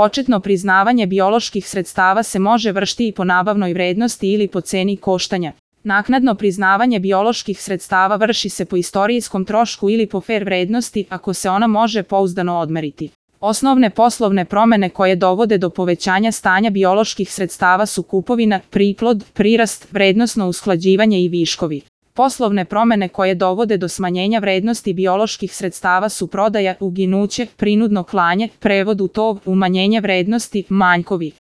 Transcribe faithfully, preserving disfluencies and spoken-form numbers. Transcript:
Početno priznavanje bioloških sredstava se može vršiti i po nabavnoj vrednosti ili po ceni koštanja. Naknadno priznavanje bioloških sredstava vrši se po istorijskom trošku ili po fer vrednosti ako se ona može pouzdano odmeriti. Osnovne poslovne promene koje dovode do povećanja stanja bioloških sredstava su kupovina, priplod, prirast, vrednosno usklađivanje i viškovi. Poslovne promene koje dovode do smanjenja vrednosti bioloških sredstava su prodaja, uginuće, prinudno klanje, prevod u tov, umanjenje vrednosti, manjkovi.